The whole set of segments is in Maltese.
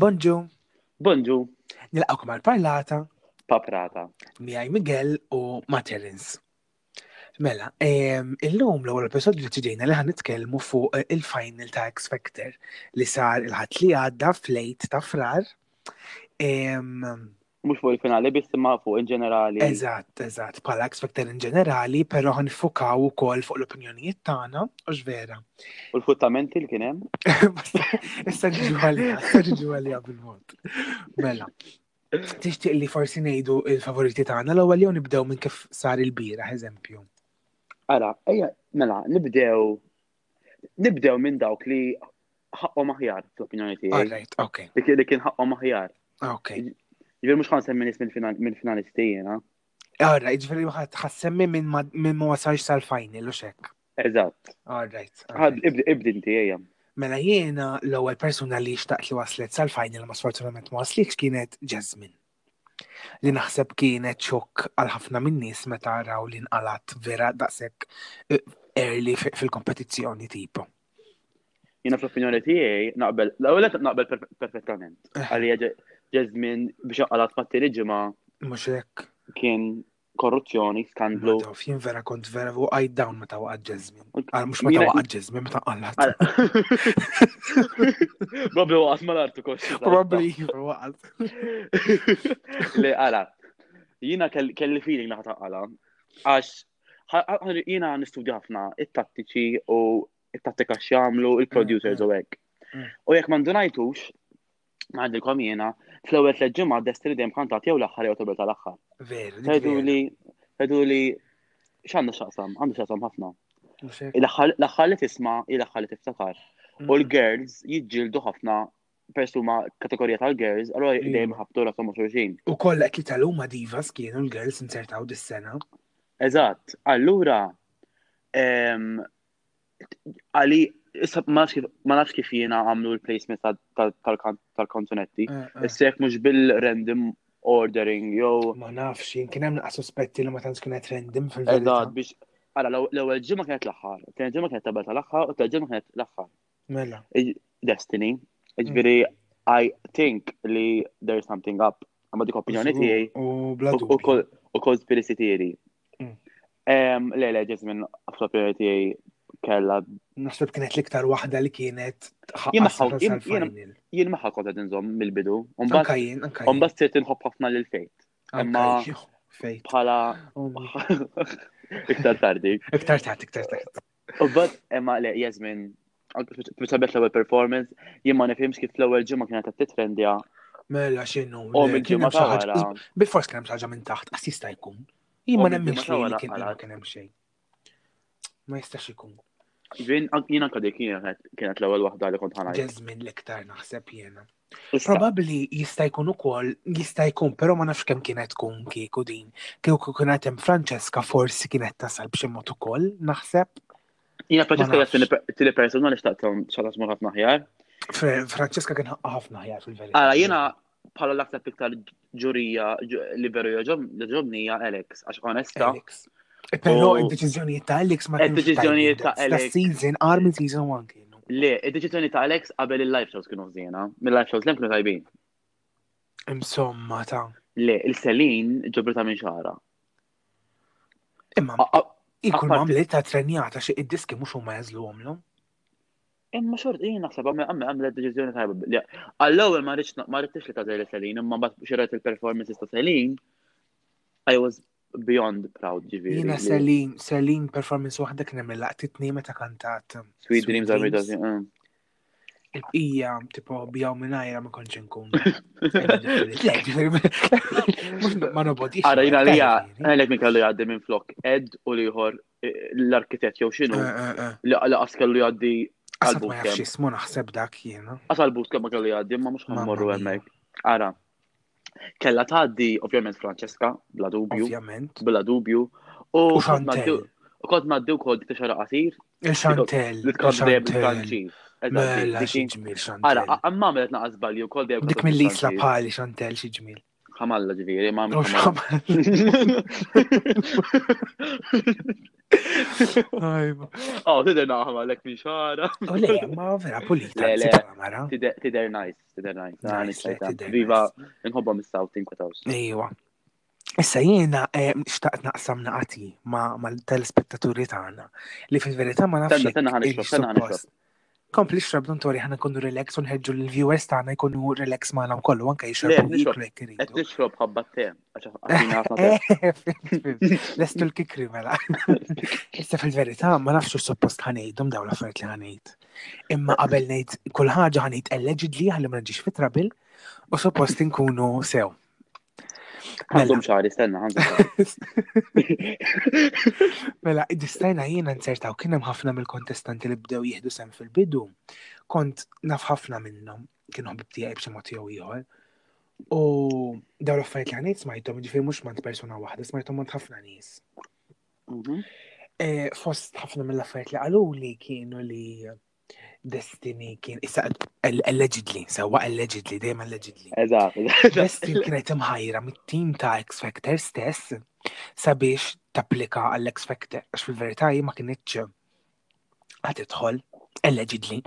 Bonġu. Bonġu. Nilqakom għal parlata. Paprata. Miegħi Miguel u ma' Terence. Mela, illum l-ewwel episodju deċidejna li ħan nitkellmu fuq il-final ta' X Factor li sar il-ħadd li għadda fl-8 ta' frar. Mhux fuq il-finali biss imma fuq in ġenerali. Eżatt, eżatt, bħala X Factor in ġenerali, però ħan nifukaw ukoll fuq l-opinjonijiet tagħna, u vera. U l-futtamenti li kien hemm? Issa ġiġu għalija, issa ġiġu għalija bil-mod. Mela, tixtieq li forsi ngħidu il-favoriti tagħna l-ewwel jew nibdew minn kif sar il-bieraħ eżempju. Ara, ejja, mela, nibdew nibdew minn dawk li ħaqqhom aħjar fl-opinjoni tiegħi. All right, okay. Li kien ħaqqhom aħjar. Okay. Ġifieri mhux ħansemmi nies mill-finalisti jiena. All right, ġifieri ħassemmi minn ma wasalx sal-final u xek. Eżatt. All right. Ibdi inti ejja. Mela jiena l-ewwel persuna li xtaqt li waslet sal-final ma sfortunatament ma waslitx kienet Jasmine. Li naħseb kienet xokk għal ħafna minn nies meta raw li nqalat vera daqshekk eh, early fil-kompetizzjoni tipo. Jiena fl-opinjoni tiegħi naqbel, l-ewwel naqbel perfettament. Eh. Għalija Jasmine biex nqalat mat-tieni ġimgħa. Mhux hekk. Kien korruzzjoni, skandlu. Taf, jien vera kont vera u għajd down meta waqgħet Jasmine. Għal mhux meta waqgħet Jasmine, meta qallat. Probabli waqgħet mal-art ukoll. Probably waqgħet. Le, għala. Jiena kelli feeling naħa taqala. Għax jiena nistudja ħafna it-tattiċi u it-tattika x'jagħmlu il-producers u hekk. Mm. U jekk ma ndunajtux, Ngħidilkom jiena, fl-ewwel tliet ġimgħat Destiny dejjem kantat jew l-aħħar jew qabel tal-aħħar. Veru. Tgħiduli, tgħiduli x'għandu x'aqsam, għandu x'aqsam ħafna. L-aħħar li tisma' hi l-aħħar li tiftakar. U l-girls jiġġieldu ħafna persuma kategorija tal-girls, allura dejjem ħabtu rashom ma' xulxin. U kollha qed li tal-huma divas kienu l-girls inzertaw dis-sena. Eżatt, allura Għali, ma nafx kif jiena għamlu l-placement tal-kanzunetti. Eh, eh. Issa jekk mhux bil-random ordering jew. Ma nafx, jien kien hemm naqas sospetti li ma tantx kienet random fil-verità. Eżatt, biex Ara, l-ewwel ġimgħa kienet l-aħħar, tieni ġimgħa kienet tabel tal-aħħar u t-tieni ġimgħa kienet l-aħħar. Mela. Destiny, ġifieri I think li there's something up. Għamma dik opinjoni tiegħi. U bla U conspiracy theory. Mm. Le, le, Jasmine, fl-opinjoni tiegħi kella. Naħseb kienet l-iktar waħda li kienet Jien maħħa kont qed inżomm mill-bidu. Anka jien, anka jien. Mbagħad sirt inħobb ħafna lil fejt. Imma fejt. Bħala iktar tardi. Iktar tard, iktar tard. U bad imma le Jasmine Sabet l-ewwel performance, jien ma nifhimx kif l-ewwel ġimgħa kienet qed titrendja. Mela x'inhu. U mill-ġimgħa ta' wara. Bil-fors kien hemm xi ħaġa minn taħt, qas jista' jkun. Jien ma nemminx li kien kien hemm xejn. Ma jistax ikun. Jien jien anke dik kienet l-ewwel waħda li kont ħanajt. Jasmine l-iktar naħseb jiena. Probabbli jista' jkun ukoll, jista' jkun, però ma nafx kemm kienet tkun kieku din. Kieku kienet hemm Francesca forsi kienet tasal b'xi mod ukoll, naħseb. Jiena Francesca hija tieni persuna li xtaqt xtaqt tmur ħafna aħjar. Francesca kien ħaqqa ħafna aħjar fil-verità. Ara jiena bħala l-aktar iktar ġurija li veru joġobni hija Alex, għax onesta. Alex. Eh, però id-deċiżjonijiet ta' Alex ma kienx. Id-deċiżjonijiet ta' Alex. season, għar minn season 1 kienu. Le, id-deċiżjoni ta' Alex qabel il-live shows kienu ħżiena, mill-live shows l kienu tajbin. Insomma ta' Le, il-Selin ġobrita minn xara. Imma ikun għamlet ta' trenjata xi id-diski mhux huma jażluhomlhom. Imma xort jien naħseb għamlet deċiżjoni tajba. Għall-ewwel ma rridx ma rridx li tagħżel Selin, imma mbagħad xi rajt il-performances ta' Selin, I was beyond proud ġifieri. Jiena Selin, Selin performance waħda kien hemm laqtitni meta kantat. Sweet Dreams are made of mm. Il-bqija, tipo, bijaw minnajra ma konċ nkun. Ma nobodix. Ara, jina li għalek minn kellu jgħaddi minn flok Ed u liħor eh, l-arkitett jew xinu eh, eh, li qas kellu jgħaddi għal Ma jafx jismu naħseb dak jiena. Qas għal bootcamp ma kellu jgħaddi, ma mhux ħammorru hemmhekk. Ara, Kella tgħaddi ovvjament Francesca, bla dubju. Ovvjament. Bla dubju. U Chantel. U kont ngħaddi wkoll dik xara qasir. Il-Chantel. Li tkun dejjem bil-Franċiż. Mela xi ġmiel Chantel. Ara, għamma għamlet naqas żbalji wkoll dejjem. Dik mill-isla bħali Chantel xi ġmiel. Ħamalla ġifieri, ma għamlet. Ajma. Oh, tidher naħma lek minn xara. U le, ma vera pulita. Le, le. Mara. Tidher nice, tidher nice. Ah, Nice, le, nice, tidher Viva, nice. nħobba mis-South inkwetawx. Ejwa. Issa jiena eh, xtaqt naqsam naqati ma' mal-telespettaturi tagħna li fil-verità ma nafx Tenna, jekk tenna ħa nixrob, il tenna ħa nixrob. suppost. Kompli xrob don't worry ħana nkunu relax u nħeġġu l-viewers tagħna jkunu relax magħna wkoll u anke Le, jixorbu qed nixrob, jiklu jekk qed iridu. nixrob ħabba te, għax għatina ħafna te. Eh, fimt, fimt. Lestu l-kikri mela. Issa fil-verità ma nafx x'ux suppost ħanejdhom dawn l-affarijiet li ħanejt. Imma qabel ngħid kull ħaġa ħanejt allegedly ħalli ma nġix fi trouble u suppost inkunu sew. Mela. Għandhom xari, stenna, għandhom xari. Mela, id-distajna jiena nzertaw kien hemm ħafna mill-kontestanti li bdew jieħdu sem fil-bidu. Kont naf ħafna minnhom, kienu ħbib tiegħi b'xi mod jew ieħor. U dawn l-affarijiet li ħanejt smajthom, ġifieri mhux mant persuna waħda, smajthom mant ħafna nies. Eh, Fost ħafna mill-affarijiet li qaluli kienu li Destiny kien issa allegedly, sewwa allegedly, dejjem allegedly. Eżatt, eżatt. Destiny kienet imħajra mit-tim ta' X Factor stess sabiex tapplika għall-X Factor, għax fil-verità hi ma kinitx ħa tidħol, allegedly.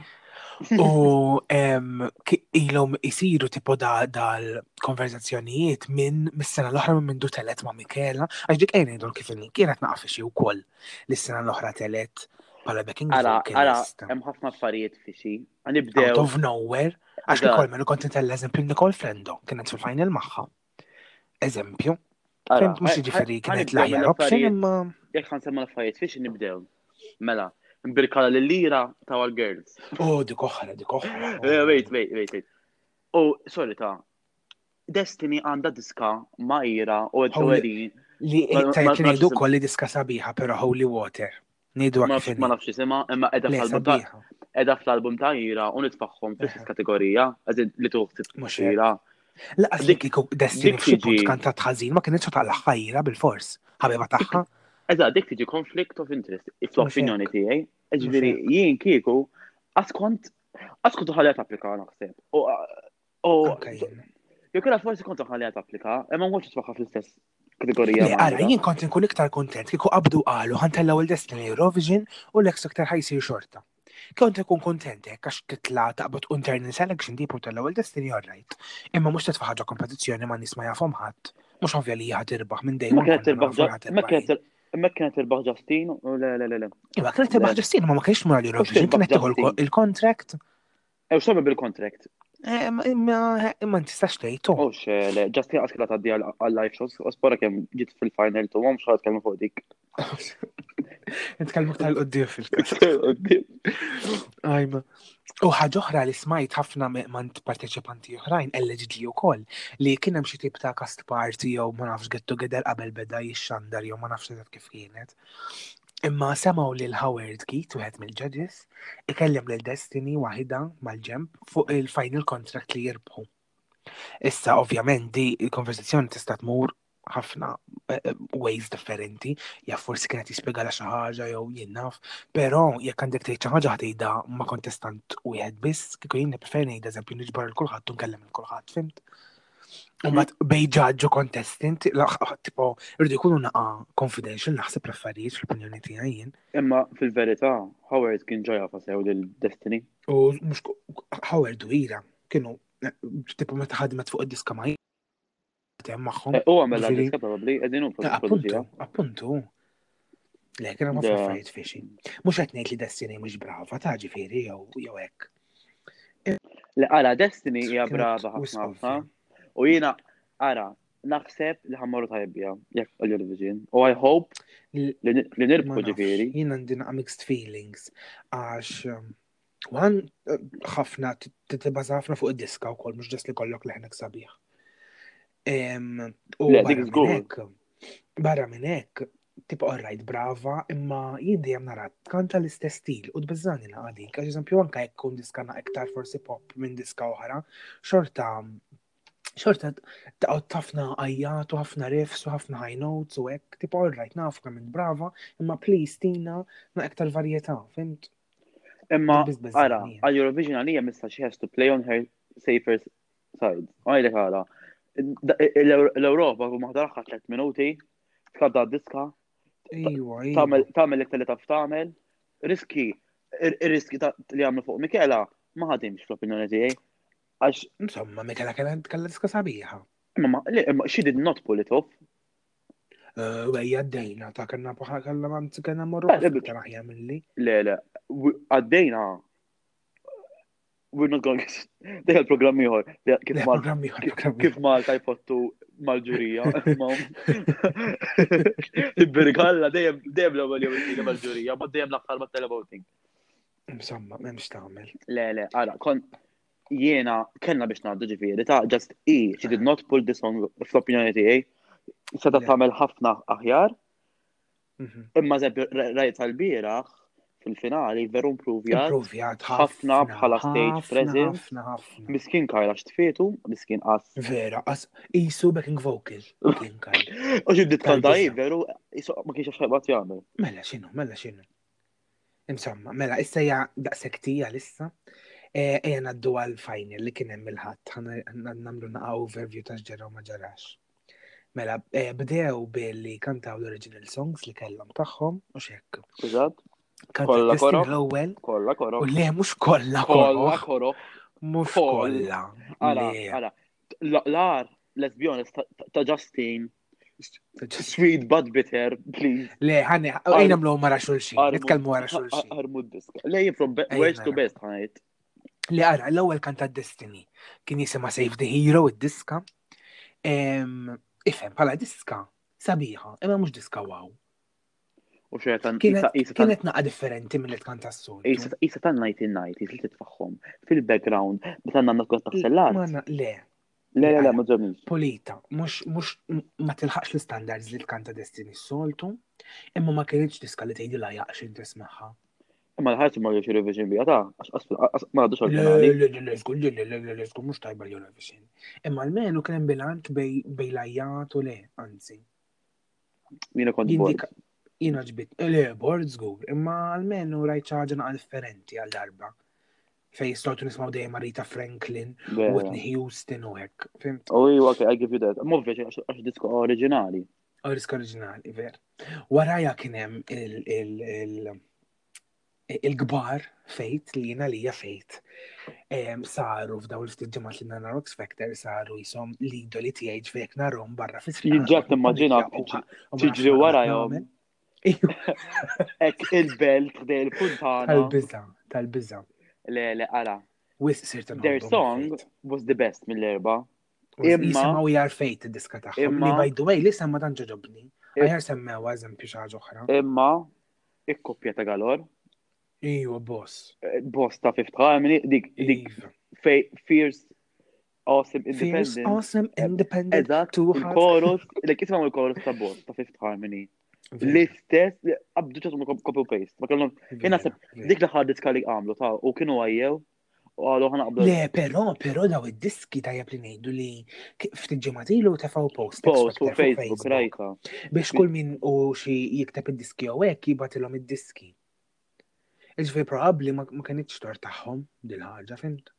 U em, ki- ilhom isiru tipo da dal-konverzazzjonijiet minn mis-sena l-oħra minn mindu telet ma' Michela, għax dik ejn ngħidu kif inhi, kienet naqa' xi wkoll li s-sena l-oħra telet bħala backing Ara, ara, vocalist. hemm ħafna affarijiet fixi. Out Nibdew. of nowhere. Għax Eżatt. Nicole, melu kont intella eżempju Nicole Frendo, kienet fil-final magħha. Eżempju. Ara, Fimt mhux jiġifieri kienet l-aħjar option imma Jekk ħansemmu l-affarijiet fixi nibdew. Mela, nbirkala lil-lira ta' għal-girls. oh dik oħra, dik oħra. Eh, Wait, wait, wait, wait. Oh, sorry ta' Destiny għandha diska ma' ira u Holy- għedin. Li Ma- tajt ma- li ma- ngħidu wkoll li diska sabiħa, però Holy Water. Ngħidu Ma kif ma nafx isimha, imma edha Le fl-album ta' sabiħa. edha fl-album ta' ira u nitfaħħom fl-istess kategorija, għazin li tuħ Mhux ira. Laqas li Dik- kieku Destiny dik f'xi punt tiġi- kantat ħażin ma kienx taqla ħajra bil-fors. Ħabiba tagħha. Eżatt, dik tiġi conflict of interest, fl-opinjoni hekk. tiegħi. Ġifieri hekk. jien kieku qatt kont qatt kont ħalliha tapplika naħseb. U u Anke jien. jew kellha forsi kont ħalliha tapplika, imma ma kontx tfaħħa fl-istess kategorija. Le, ma' ara, Ira. jien kont nkun iktar kontent kieku qabdu qalu ħantellaw il-Destiny Eurovision u l-X Factor ħajsir xorta. Kont ikun kontent hekk għax titla taqbad internal selection tipo tellaw il-Destiny all right. Imma mhux titfa' ħaġa kompetizzjoni ma' nies ma jafhom ħadd. Mhux ovvja li hija tirbaħ minn dejjem. Ma kienet tirbaħ ma kienet ma kienet tirbaħ Justin u le le le le. Iva, kienet tirbaħ Justin, ma ma kienx mura l-Eurovision, Mhux tirbaħ kienet tieħu Justin. il-contract. Ew x'tagħmel bil-contract? Eh, Imma imma- imma tistax tgħid. Oh xe, le, Justin qas kellha tgħaddi għal live shows, u spora kemm ġiet fil-final tu m'hemmx ħadd tkellmu fuq dik. Nitkellmu aktar l-qoddim fil-każ. Ajma. U ħaġa oħra li smajt ħafna mant parteċipanti oħrajn, allegedly wkoll, li kien hemm xi tip ta' cast party jew ma nafx get together qabel beda jixxandar jew ma nafx eżatt kif kienet. Imma semgħu lil Howard Keith, wieħed mill-judges, ikellem lil Destiny waħida mal-ġemp fuq il-final contract li jirbħu. Issa ovvjament di il-konversazzjoni tista' tmur ħafna eh, eh, ways differenti, ja forsi kienet jispjegala xi ħaġa jew jien naf, però jekk għandek tgħid xi ħaġa ħtejda ma' kontestant wieħed biss, kieku jien nippreferi ngħid eżempju niġbar il kulħadd u nkellem il kulħadd, fimt? U mbagħad bej judge u contestant, la- tipo, irridu jkunu naqa confidential naħseb l-affarijiet fl-opinjoni tiegħi jien. Imma fil-verità, Howard kien ġoja fasew lil Destiny. U mhux Howard u Ira kienu eh, tipo meta ħadmet fuq id-diska ma' hemm magħhom. Eh, U għamela Ġifieri- diska probabbli, qegħdin hu Eh, Appuntu, produċija. appuntu. Le, kien hemm ħafna Da. affarijiet fishy. Mhux qed ngħid li Destiny mhux brava ta' ġifieri jew jew hekk. Le, ara, Destiny hija Kienet brava wisq ħafna ħafna. ovvja. U jiena, ara, naħseb li ħammorru tajbija, jekk għall-Eurovision. U I hope L- li li Ma nirbħu nafx, ġifieri. Jien għandi naqa mixed feelings għax um, one eh, ħafna titibbaża ħafna fuq id-diska wkoll mhux ġest li kollok leħnek sabiħ. Em, U Le, barra dik minn żgur. hekk, barra minn hekk, tipo alright brava, imma jien dejjem nara tkanta l-istess stil u tbeżżani naqa dik. Għax eżempju anke jekk kun diska na iktar forsi pop minn diska oħra, xorta xorta taqgħod ħafna għajjat u ħafna riffs u ħafna high notes u hekk, tipo alright nafu kemm int brava, imma please tina na iktar varjetà, fimt? Imma, Dik biss beżżani ara, jien. għall-Eurovision għalija missa she has to play on her safer side. Għajlek għala. L-Europa, u maħdar 3 minuti, tkadda diska, Iwa, iwa. Tagħmel l-iktar li taf tagħmel. Riski, ir-riski li għamlu fuq Mikela ma ħadimx fl-opinjoni tiegħi. Għax. Insomma, Mikela kellha kellha diska sabiħa. Imma imma she did not pull it off. Eh, Wejja għaddejna ta' kellna bħal kellna anzi kellna morru eh, iktar aħjar milli. Le, le, għaddejna we're not going to Dik il-programm ieħor. Kif programm ieħor. Kif Malta jfottu mal-ġurija. Birgalla dejjem dejjem l-ewwel jew it-tieni mal-ġurija, ma dejjem l-aħħar mat-televoting. Insomma, m'hemmx tagħmel. Le, le, ara, kon jiena kellna biex ngħaddu ġifieri ta' just i, she did not pull the song fl-opinjoni tiegħi. Seta tagħmel ħafna aħjar. Mhm. Imma eżempju rajt tal-bieraħ fil-finali veru improvjat. Improvjat ħafna bħala stage presence. Ħafna ħafna. Miskin Kajla x'tfietu, miskin qas. Vera, qas isu backing vocal kien Kajla. U xi bdiet kanta veru, isu ma kienx x'ħajbat jagħmel. Mela x'inhu, mela x'inhu. Insomma, mela, issa hija daqshekk tija lissa. Eh, ejja ngħaddu għal final li kien hemm il-ħadd, nagħmlu naqa' overview ta' x'ġara u ma ġarax. Mela, eh, bdew billi kantaw l-original songs li kellhom tagħhom u xekk. Eżatt. Kollha koro. L-ewwel. Kollha koro. U le mhux kollha koro. Kollha koro. Mhux kollha. Ara, ara. L-ar, let's be honest, ta' Justin Sweet but bitter, please. Le, ħani, ejna mlu mara xulxin, nitkellmu wara xulxin. Armu diska. Le, from worst to best, ħanajt. Li ara, l-ewwel kanta Destiny, kien jisima Save the Hero, id-diska. Ifhem, bħala diska, sabiħa, imma mhux diska wow. U xejtan kienet naqa differenti mill-li tkanta s-soltu. Isa tan 1990 li titfaħħom fil-background, meta għandna tkun taħsel l-art. Le, Le, le, le, ma ġobniex. Pulita, mux, mux, ma tilħaqx l-standards li tkanta Destiny s-soltu, imma ma kienx diska li tgħidilha jaqx inti tismagħha. Imma l-ħarġ ma ġewx Eurovision bija ta' għax ma għadux għal-finali. Le, le, le, żgur, le, le, le, le, żgur mhux tajba l-Eurovision. Imma almenu kien hemm bilanċ bej lajjat u le, anzi. Jiena kont bored. Jiena ġbit, le, bored żgur, imma almenu rajt xi ħaġa naqa' differenti għal darba. Fej soltu nismaw dejjem Rita Franklin, Whitney Houston u hekk. Fimt? Oh, iwa, okay, I give you that. Mhux għax disko oriġinali. Oh, disko oriġinali, ver. Waraja kien hemm il-kbar fejt li jiena lija fejt saru f'daw il-ftit ġimgħat li nara X Factor saru jisom l-idoli tiegħi ġvek narhom barra fis-triq. Jiġġa timmaġina tiġri warajhom. Ek il-belt ħdej il-funtana. Tal-biża, tal-biża. Le, le, ara. Wis sirta Their song was the best mill-erba. Imma jisimgħu jar fejt id-diska tagħhom. Li by the way, li semma tant ġoġobni. Aħjar semmew eżempju xi ħaġa oħra. Imma Ikkoppja ta' Galor. Iwa, boss. Eh, boss ta' Fifth Harmony, dik, dik, iva. Fierce, Awesome, Independent. Fierce, Awesome, eh, Independent. Eżatt, il-chorus, like ismaw il-chorus ta' boss ta' Fifth Harmony. L-istess, għabdu ċasum copy paste. Ma kellhom, jena dik l-aħħar diska li għamlu ta' u kienu għajjew, U għalu ħana qablu. Le, però, però daw id-diski tajjeb li ngħidu li ftit ġimgħat ilu tefgħu post. Post fuq Facebook, rajta. Biex kull min u xi jikteb id-diski jew hekk jibgħatilhom id-diski. Iġifieri probabbli ma kinitx tor tagħhom dil-ħaġa, fimt?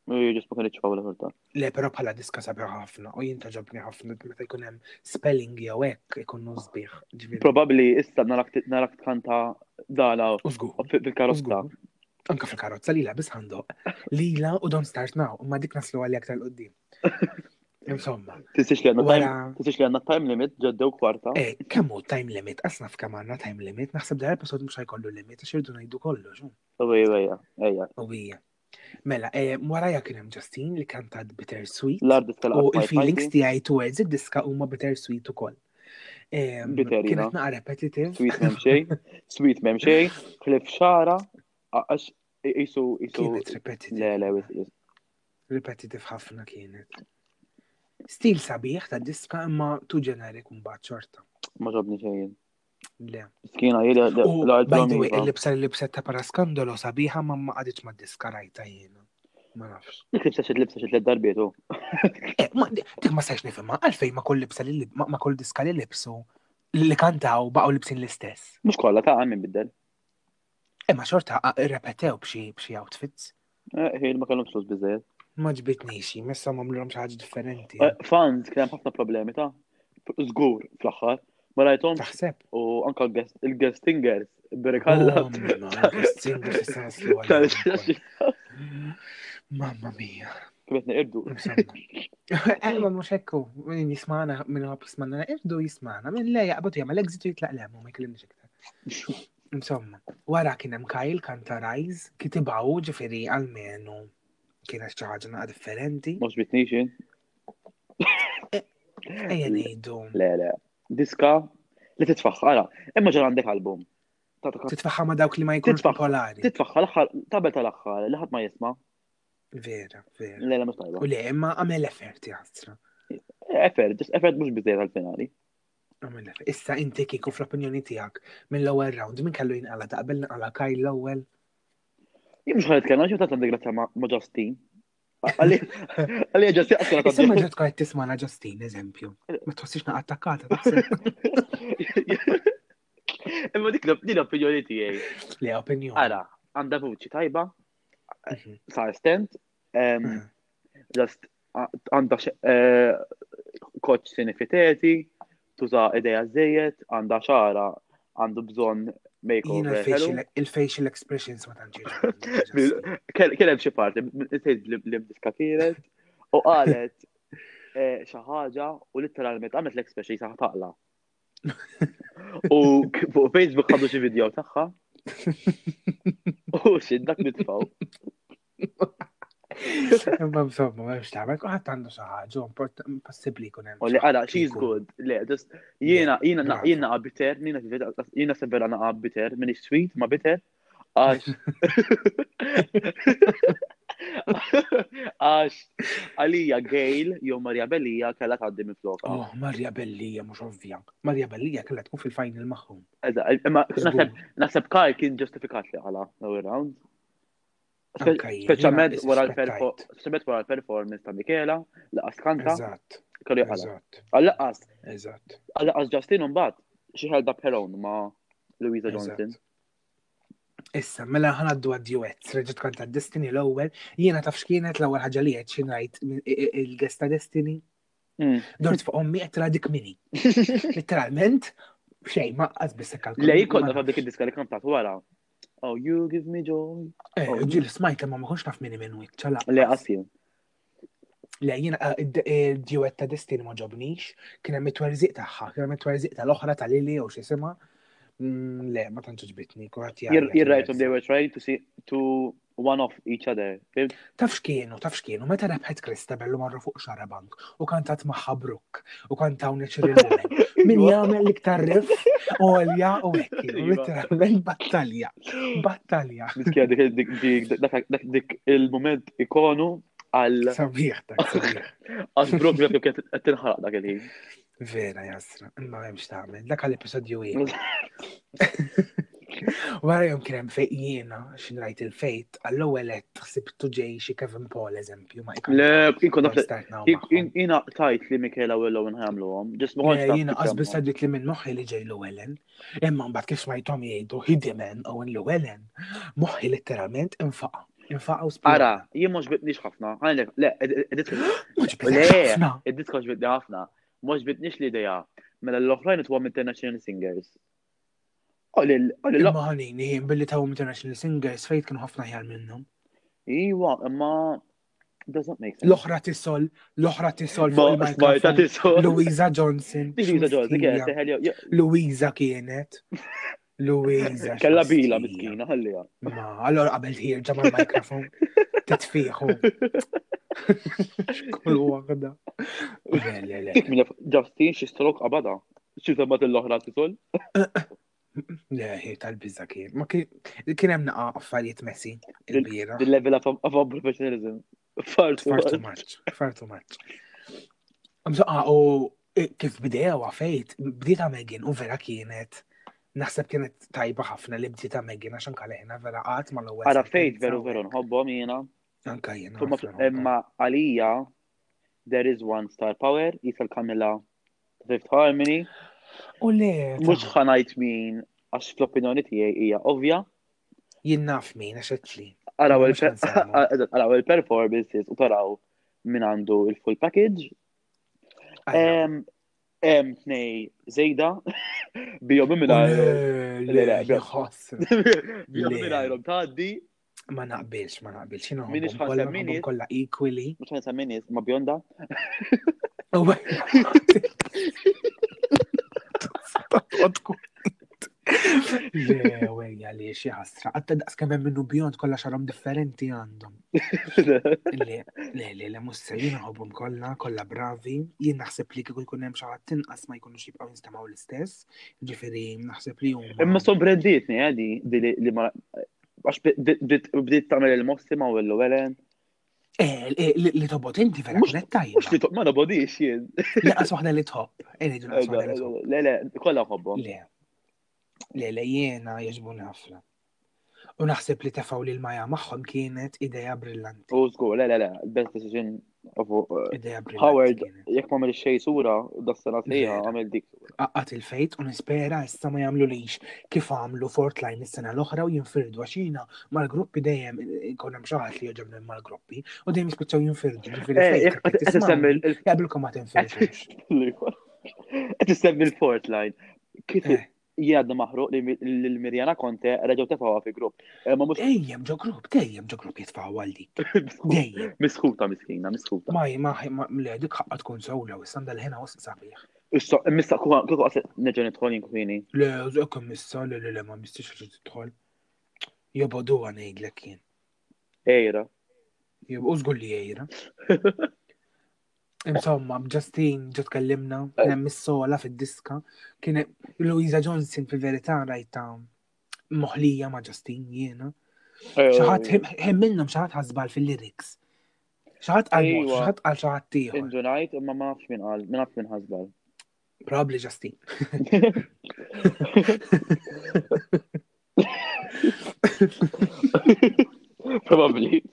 Ġust ma kinitx fawla xorta. Le, però bħala diska sabiħ ħafna u jien taġobni ħafna meta jkun hemm spelling jew hekk ikunu sbieħ. Probabbli issa narak tkanta dala fil-karozza. Anka fil-karozza lila biss ħandoq. Lila u Don't Start Now, imma dik naslu għalli aktar qoddim. Insomma. Tisix li għanna time limit ġaddew kwarta. Eh, kemm hu time limit? Qas naf kemm għandna time limit, naħseb dar episod mhux ħajkollu limit għax irdu ngħidu kollox. Ejja, ejja, ejja. Ejja. Mela, eh, warajja kien hemm Justine li kantat Bittersweet. L-art U il-feelings tiegħi towards id-diska huma bittersweet ukoll. Kienet naqa repetitive. Sweet m'hemm xejn, sweet m'hemm xejn, ħlif xara, għax jisu jisu. Kienet repetitive. Le, le, wis. Repetitive ħafna kienet. Stil sabiħ ta' diska imma tu generic mbagħad xorta. Ma ġobni xejn. Le. Skina jili By the way, il-libsa li libset ta' paraskandolo sabiħa ma ma qaditx ma diska rajta jiena. Ma nafx. Dik libsa xi libsa xi tliet darbiet u. Eh, dik ma stajx nifhimha, għalfejn ma kull libsa li ma kull diska li libsu li kantaw baqgħu libsin l-istess. Mhux kollha ta' min biddel. Imma eh, xorta rrepetew b'xi b'xi outfits. Eh, ħin ma kellhom flus biżejjed. Ma ġbitnix, messa m'għamluhom xi ħaġa differenti. Eh, fans kien hemm ħafna problemi ta' żgur fl-aħħar. Ma rajthomx. Taħseb. U anka il-guest singers, berikalla. Oh, il-guest singers issa naslu għal. Mamma mia. Kif qed neqirdu. Eh, ma mhux hekk min jismana min huwa jismana neqirdu jismana, min le jaqbad jagħmel exit u jitlaq lem u ma jkellimniex iktar. Insomma, wara kien hemm Kyle kanta Rise, kitibaw ġifieri għalmenu kienet xi ħaġa naqa' differenti. Mhux bitnix jien. Eh, ejja ngħidu. Le, le. Diska li titfaħħa, ara, imma ġara għandek album. Titfaħħa ma dawk li ma jkunux popolari. Titfaħħa l-aħħar, tabel tal-aħħar, li ħadd ma jisma'. Vera, vera. Le, le, mhux tajba. U le, imma għamel effort jastra. Effort, just effort mhux biżejjed għal-finali. Għamel effort. Issa inti kieku fl-opinjoni tiegħek mill-ewwel round min kellu jinqala taqbel nqala Kyle l-ewwel? Jien mhux ħanet kellna xi tant għandek grazzja ma' Justin. Għalli Justin għaskela ta' Issa ma ġed tkun tismana Justin, eżempju. Ma tħossix naqa attakkata taħseb. Imma dik l-opinjoni tiegħi. Le opinjoni. Ara, għandha vuċi tajba, mhm. sa estent, mhm. just għandha eh, koċ sinifiteti, tuża ideja żejjed, għandha xara, għandu bżonn makeover. Il-facial expressions ma tantx. Kien hemm xi parti, tgħid li diska kienet u qalet eh, xi ħaġa u litteralment għamlet l-expression sa taqla. U fuq Facebook ħadu xi video tagħha. U xi dak nitfgħu. Imma insomma, ma nafx tagħmel, kulħadd għandu xi ħaġa, impossibbli jkun hemm. U li għala, she's good. Le, just jiena jiena jiena bitter, jiena jiena severa naqa bitter, minix sweet ma bitter. Għax. Għax għalija Gail jew Maria Bellija kellha tgħaddi minn floka. Oh, Maria Bellija mhux ovvja. Maria Bellija kellha tkun fil-final magħhom. Imma naħseb Kyle kien ġustifikat li għala l-ewwel round. Speċjalment wara l-performance ta' Michela, laqas kanta. Eżatt. Kellu jaqala. Għal-laqas. Eżatt. Għal-laqas Justin mbagħad xi held up her own ma' Louisa Johnson. Issa, mela ħanaddu għad-duets, reġgħet kanta Destiny l-ewwel, jiena taf x'kienet l-ewwel ħaġa li qed xi ngħid il-guest ta' Destiny. Mm. Dort fuq ommi qed tra dik mini. Literalment, xejn ma qas biss kalkol. Le jkollna ta' dik id-diska li kantat wara. Oh, you give me joy. Eh, oh, ġil smajt ma ma konx naf minni minn wiċċa la. Le qas jien. Le jiena eh, il-duet ta' Destiny ma ġobnix, kien hemm it-twerżiq tagħha, kien hemm it-twerżiq tal-oħra ta' Lili jew x'isimha. Mm, le, ma tantx ġbitni, kulħadd jgħid. You're they were trying to see to one off each other. Taf x'kienu, taf x'kienu, meta rebħet Christabel u marru fuq Xarabank u kantat magħha Brooke u kantaw Natural Woman. Min iva. jagħmel l-iktar riff għolja u hekk, iva. literalment battalja. Battalja. Miskija dik dak dik il-moment ikonu għal. Sabiħ dak, sabiħ. Għax Brooke dak kienet qed tinħaraq dak il-ħin. Vera jasra, imma m'hemmx tagħmel, dak għal episodju ieħor. Wara jom kien hemm fejn jiena x'in rajt il-fejt, għall-ewwel qed ħsibtu ġej xi Kevin Paul eżempju ma Le, inkun naf jiena tajt li Michaela u Owen ħamluhom, ġest ma kontx Jiena qas biss għaddit li minn moħħi li ġej Llewellyn, imma mbagħad kif smajthom jgħidu Hidiman Owen Llewellyn, moħħi letteralment infaqa'. Infaqa' u spjega. Ara, jien mhux bitnix ħafna. Le, id-diska ġbitni ħafna. Mhux bitnix l-idea. Mela l-oħrajn itwhom International Singers. Imma ħanini, billi tawhom International Singers fejt kienu ħafna ħjar minnhom. Iwa, imma doesn't make sense. L-oħra tisol, l-oħra tisol fuq il-mikrofon. Louisa Johnson. Louisa Johnson, kienet. Louisa kienet. Louisa. Kella bila miskina, ħalliha. Ma, allora qabel ħirġa mal-mikrofon. Titfiħu. Kull waħda. Le, le, le. Dik minn Justin xi stroke qabada. Xi semmat l-oħra tisol? Le, hi tal-biża kien. Ma kien hemm naqa' affarijiet messi il-bira. Il-level of professionalism. Far too much. Far too much. Mżoqqa u kif bdew fejt, bdieta Megan u vera kienet naħseb kienet tajba ħafna li bdieta Megan għax anka leħna vera qatt mal-ewwel. Ara fejt veru veru nħobbhom jiena. Anka jiena. Imma għalija there is one star power, jisal Kamila Fifth Harmony. U le. Mhux ħanajt min għax fl-opinjoni tiegħi hija ovvja. Jien naf min għax qedli. Araw il-performances u taraw min għandu il-full package. Hemm tnej żejda bihom mingħajr. Le, le, ħoss. Bihom mingħajrhom tgħaddi. Ma naqbilx, ma naqbilx. Jiena Minix ħansemmi kollha equally. Mhux ħansemmi nies ma bjonda. Le, wejja li xi ħasra. Għatta daqs kemm hemm minnu bjond kollha xarhom differenti għandhom. Le, le, le, le mhux se jien nħobbhom kollha, kollha bravi. Jien naħseb li kieku jkun hemm xi ħadd inqas ma jkunux jibqgħu jinstemgħu l-istess. Ġifieri naħseb li huma. Imma sorprenditni eh, di li ma għax bdiet tagħmel il-mossi ma' Willow Ellen. Eh, eh, li tobot inti vera kienet tajba. Mux li tob, ma nobodix jien. Laqas waħda li tħobb. Eh, le, le, kollha ħobbhom. Le. Le, le, jiena jogħġbuni ħafna. U naħseb li tefgħu lil Maja magħhom kienet idea brillanti. U żgur, le, le, le, best decision of uh, idea brillanti. Howard, jekk ma għamil xejn sura, da sena sejħa għamil dik. Qaqqat il-fejt u nispera issa ma jagħmlulix kif għamlu Fortline is-sena l-oħra u jinfirdu għax jiena mal-gruppi dejjem ikun hemm xi ħadd li jogħġobni mal-gruppi u dejjem jispiċċaw jinfirdu. Ġifieri eh, jaqbilkom ma tinfirdux. Qed issemmi l-Fortline. Kif eh. jgħaddu maħruq li l-Mirjana Conte reġgħu tefgħuha fi grupp. Eh, ma mhux Dejjem ġo grupp, dejjem ġo grupp jitfgħu għal dik. Dejjem. Misħuta miskina, misħuta. Ma ma ma le dik ħaqqa tkun sewla u issa l-ħena wisq sabiħ. Issa, missa kieku qas nerġa' nidħol jien kwini. Le, ekk missa, le le le ma mistix reġa' tidħol. Joboduha ngħidlek jien. Ejra. U żgur li ejra. Insomma, Justin ġo tkellimna, kien hemm is-sola fid-diska, kien Louisa Johnson fil-verità rajta moħlija ma' Justin jiena. Xi ħadd hemm minnhom xi ħadd ħasbal fil-lyrics. Xi ħadd qal mod, xi ħadd qal xi ħadd ieħor. Indunajt imma ma nafx min qal, ma nafx min ħasbal. Probably Justin. Probably.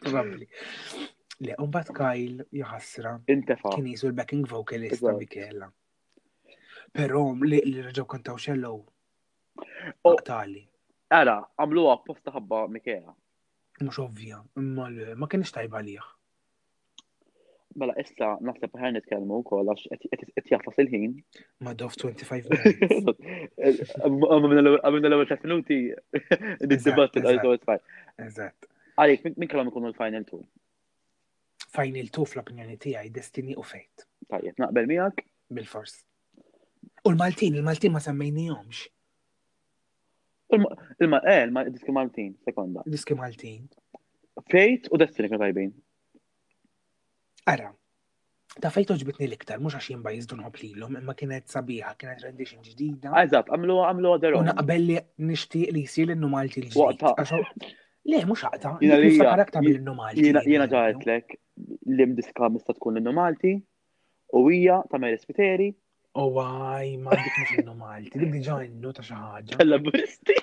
Probably. Le, un bat Kyle jaħasra. Intefa. Kien jisu l-backing vocalist ta' Michela. Però li li reġgħu kantaw xellow. Tali. Ara, għamlu apposta ħabba Michela. Mhux ovvja, imma ma kienx tajba għalih. Mela issa naħseb ħajr nitkellmu wkoll għax qed jafas il-ħin. Ma dof 25 minutes. Għamilna l-ewwel 3 minuti nid-dibattit għal so it's Eżatt. Għalik, min kellhom ikunu l-final two? Final two fl-opinjoni tiegħi Destiny u Fate. Tajjeb, naqbel miegħek? Bil-fors. U l-Maltin, il-Maltin ma semmejnihomx. Il-ma, eh, il-diski Maltin, sekonda. Diski Maltin. Fate u Destiny kienu tajbin. Ara, ta' fejn toġbitni l-iktar, mhux għax jien bajż nħobb lilhom, imma kienet sabiħa, kienet rendition ġdida. Eżatt, għamlu għamlu għaderom. U naqbel li nixtieq li jsir l-innu Malti l-ġdid. Le, mhux aqta, Jiena li niftakar aktar mill-innu Malti. Jiena ġaħetlek li mdiska mista tkun l-innu Malti u hija ta' Mary Spiteri. U għaj, ma dik mhux innu Malti, dik diġà innu ta' xi ħaġa. Tal-laburisti.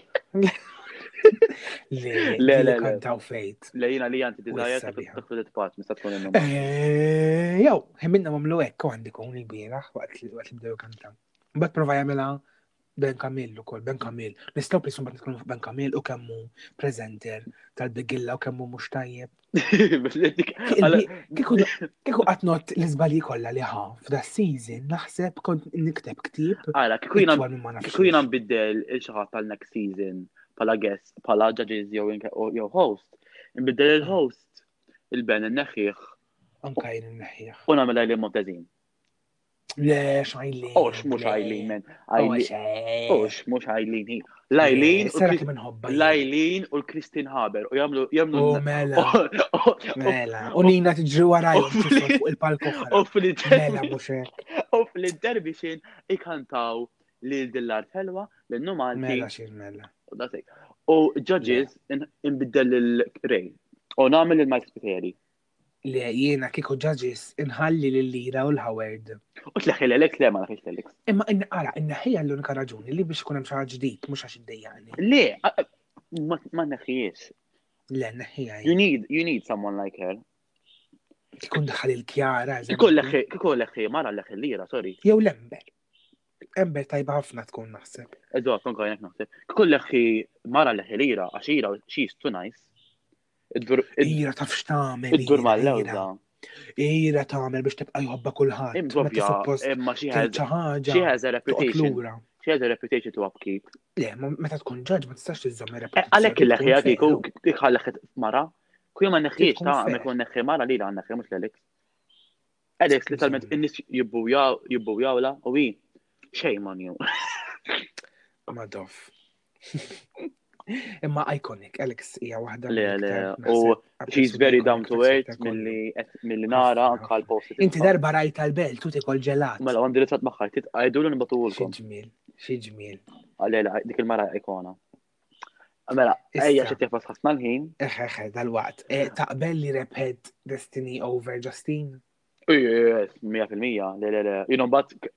Le, le, le, kantaw fejt. Le jiena li għanti desire ta' credit part mista tkun innu. Eh, jew, minna mamlu hekk u għandi kun il-bieraħ waqt li bdew kantaw. Mbagħad prova jagħmilha Ben Kamil ukoll, Ben Kamil. Nistgħu please mbagħad nitkellmu fuq Ben Kamil u kemm hu presenter tal-bigilla u kemm hu mhux tajjeb. Kieku qatt not l-iżbalji kollha li ħa f'da season naħseb kont nikteb ktieb. Ara, kieku jiena nbiddel il xi ħadd tal-next season bħala guest, bħala judges jew host, nbiddel il-host il-Ben inneħħih. Anka jien inneħħih. U nagħmel li Montezin. Le, xajlin. Ox, mux Eileen, men. Ox, mux Eileen, hi. Lajlin. Lajlin u l-Kristin Haber. U jamlu. jamlu oh, mela. Mela. U Nina tiġri warajhom fuq il-palko. U fil-mela mhux hekk. U fil-intermission ikantaw lil dillar ħelwa l-innu Malti. Mela xir mela. U judges inbiddel il-Ray. U nagħmel il-Mike Spiteri. Le, jiena kieku judges inħalli lil Lira u l-Howard. U tleħħi l-Alex, le ma naħħix l-Alex. Imma ara, inneħħija l-unika raġuni li biex ikun hemm xi ħaġa ġdid, mhux għax iddejjaqni. Le, ma neħħijiex. Le, neħħija. You need, you need someone like her. Kikun daħal il-Kjara. Kikun leħħi, kikun leħħi, mara leħħi l-Lira, sorry. Jew l-Ember. Ember tajba ħafna tkun naħseb. Eżatt, anka jenek naħseb. Kikun leħħi, mara leħħi l-Lira, għax ira, she's too nice. Ira taf x'tagħmel. Iddur mal-lewża. Ira tagħmel biex tibqa' jħobba kulħadd. Imma suppost imma xi ħaġa. She has a reputation. She has a reputation to upkeep. Le, meta tkun ġaġ ma tistax tiżżomm eh, reputazzjoni. Għalhekk il-leħja kieku ħalleħ mara, kull ma neħħiex ta' ma jkun neħħi mara li la neħħi mhux l-Alex. Alex literalment in-nies jibbujawla u hi shame on you. Madoff. Imma iconic, Alex hija waħda. Le, le, u she's very down to earth milli milli nara anka l-post. Inti darba rajta l-belt u tikol ġelat. Mela għandi ritratt magħha, titqajdu l nibatuhulkom. Xi ġmiel, xi ġmiel. Le, le, dik il-mara ikona. Mela, ejja xi tefas ħafna l-ħin. Eħe, eħe, dal-waqt. Eh, taqbel li rebħet Destiny over Justine? Yes, 100%, le, le, le. Jien mbagħad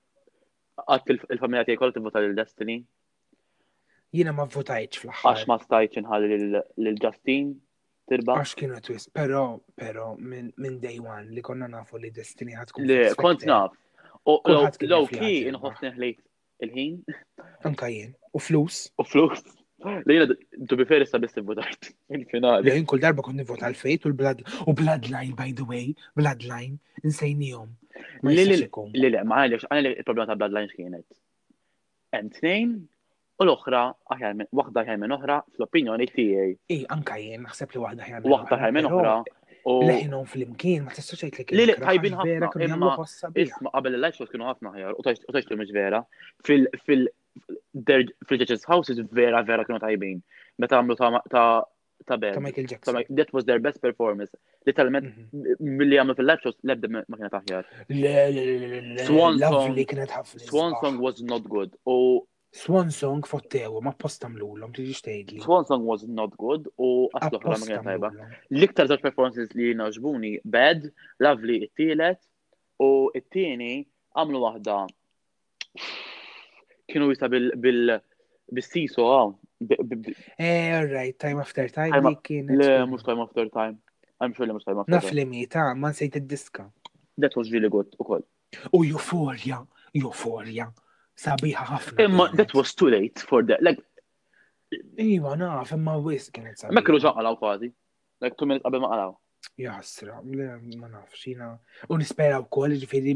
qatt il-familja tiegħi kollha tivvota lil Destiny. Jiena ma votajtx fl-aħħar. Għax ma stajtx inħalli lil Justine tirbaħ. Għax kienu twist, però però minn day one li konna nafu li Destiny ħatkun. Le, kont naf. U low key inħossni ħlejt il-ħin. Anka jien. U flus. U flus. Li jiena to be fair issa biss votajt il-finali. Jien kull darba kont nivvota l-Fate u l-Blood u Bloodline by the way, Bloodline, insejnihom. Le le le, ma għaliex għaliex il-problema ta' Bloodline x'kienet. Hemm tnejn u l-oħra aħjar minn waħda aħjar minn oħra fl-opinjoni tiegħi. Ej, anka jien naħseb li waħda aħjar minn waħda aħjar minn oħra. U leħinhom flimkien ma tistax tgħid li kienu. Li tajbin ħafna imma isma' qabel il-live shows kienu ħafna aħjar u tgħid li mhux vera. Fil fil fil-judges houses vera vera kienu tajbin. Meta għamlu ta' ta' band. Ta' Michael Jackson. That was their best performance. Literalment, mhm. milli għamlu fil-live shows, lebda ma kienet aħjar. Le, le, le, le, Swan Song. kienet ħafna. Swan Song was not good. U Swan Song fottewu, ma posta mlulhom, tiġi tgħidli. Swan Song was not good u għaslu ħra ma kienet tajba. L-iktar żewġ performances li jogħġbuni, Bad, Lovely it-tielet u it-tieni għamlu waħda kienu jisa bil bil bis-siso għaw. Eh, all right, time after time li kienet. Le, mux time after time. I'm sure li mux time after time. Naf li mi, ta' ma nsejt id-diska. That was really good u koll. U Euphoria, Euphoria, sabiħa ħafna. Imma that was too late for that. Like, Iva, naf, imma wis kienet sabiħa. Ma kienu ġanqalaw kważi. Like two minutes qabel ma qalaw. Jaħasra, le, ma nafx, jina. U nispera u koll, ġifiri,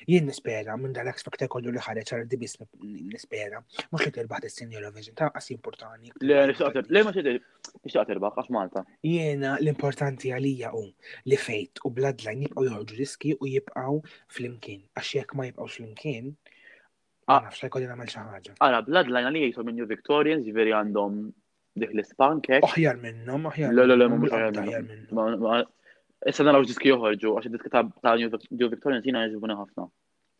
jien nispera minn dal-X Factor kollu li ħareġ għal dibis nispera. Mux li tirbaħ dis-sin Eurovision, ta' qas importanti. Le, le, ma nixtieq tirbaħ, għax Malta. Jiena l-importanti għalija u li fejt u Bloodline jibqgħu joħorġu diski u jibqgħu flimkien. Għax jekk ma jibqgħux flimkien, Ma ah. nafx jkolli nagħmel xi ħaġa. Ara, Bloodline għalija jisom minn New Victorians, ġifieri għandhom dik l-ispank hekk. Aħjar minnhom, aħjar. Le, le, le, mhux aħjar minnhom. Issa naraw diski joħorġu, għax id-diski ta' New Victorians jiena jogħġbuni ħafna.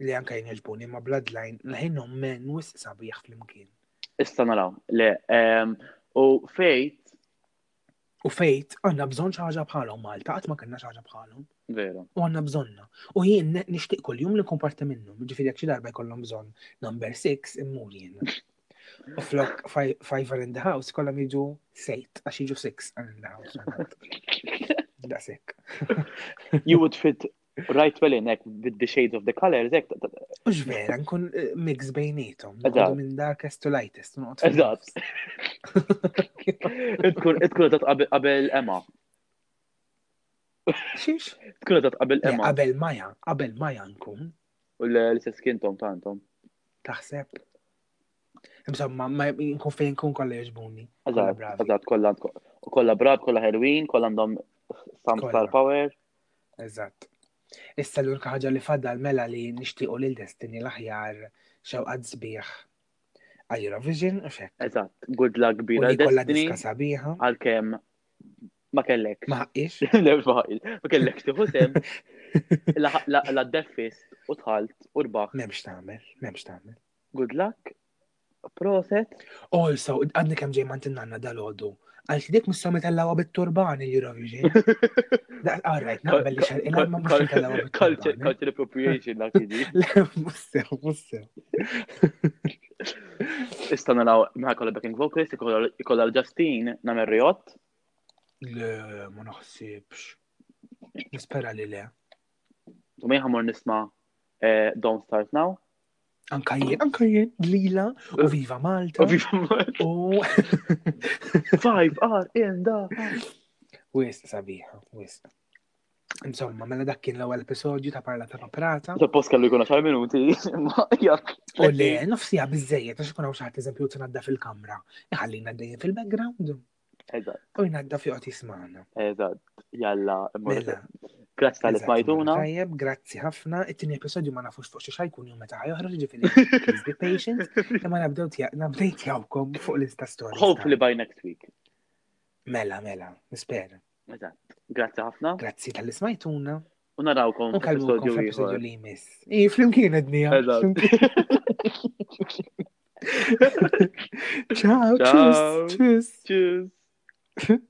Li anke jien jogħġbuni, ma Bloodline leħinhom men wisq sabiħ flimkien. Issa naraw, le. Ehm, u Fate U fejt, għanna bżon ħaġa bħalhom Malta, qatt ma kellna ħaġa bħalhom. Veru. U għanna bżonna. U jien nixtieq kuljum li nkun parti minnhom. Ġifieri jekk xi darba jkollhom bżonn number 6 immur jien. U flok five are in the house kollhom jiġu sejt għax jiġu six are in the house. Daqshekk. You would fit right well in, ek, with the shades of the colors, ek. Ux vera, nkun eh, mix bejnietom. Eżatt. Minn darkest to lightest. Eżatt. Tkun eżatt qabel Emma. Xiex? Tkun eżatt qabel Emma. Qabel Maja, qabel Maja nkun. U l-istess kintom ta' intom. Taħseb? Insomma, ma nkun fejn nkun kollha jogħġbuni. Eżatt, eżatt, kollha kollha brab, kollha ħelwin, kollha għandhom some star power. Eżatt. Issa l-unika ħaġa li fadal mela li nixtiequ lil Destiny l-aħjar xewqat sbieħ għal Eurovision u xek. Eżatt, good luck kbira Destiny. Diska sabiħa. Għalkemm ma kellek. Ma ħaqqix. Le, ma ħaqqix. Ma kellek tieħu sem. La defist u tħalt u rbaħ. M'hemmx tagħmel, m'hemmx tagħmel. Good luck. Proset. Also, għadni kemm ġej mant nanna dal-ħodu. Għal dik mistaw mitellawa bit-turban il-Eurovision. All right, naqbel li xar il ma mux mitellawa bit-turban. Culture appropriation dak jiġi. Le, mussew, mussew. Issa naraw mħa kolla backing vocalist, ikolla l-Justine namel riot. Le, ma naħsibx. Nispera li le. U ma jħamur nisma eh, Don't Start Now. Anka jien, anka jien, Lila, u Viva Malta. U Viva Malta. U Five R in the Wis sabiħa, wis. Insomma, mela dak kien l-ewwel episodju ta' Parla ta' Paprata. Suppost kellu jkun 10 minuti, ma jak. U le, nofsija biżejjed għax ikun hawn xi ħadd eżempju tinadda fil-kamra. Iħallina dejjem fil-background. Eżatt. U jnadda fi qgħod jismagħna. Eżatt. Jalla, mela. Grazzi tal smajtuna. Tajjeb, grazzi ħafna. It-tieni episodju ma nafux fuq xi xajkun jum meta ħajoħroġ ġifieri. Please be patient. Imma nabdew nabdejtjawkom fuq l-Insta stories. Hopefully by next week. Mela, mela, nispera. Eżatt. Grazzi ħafna. Grazzi tal-li smajtuna. U narawkom f'episodju ieħor. li jmiss. I, flimkien għednija. Ciao, tschüss. Tschüss. Tschüss.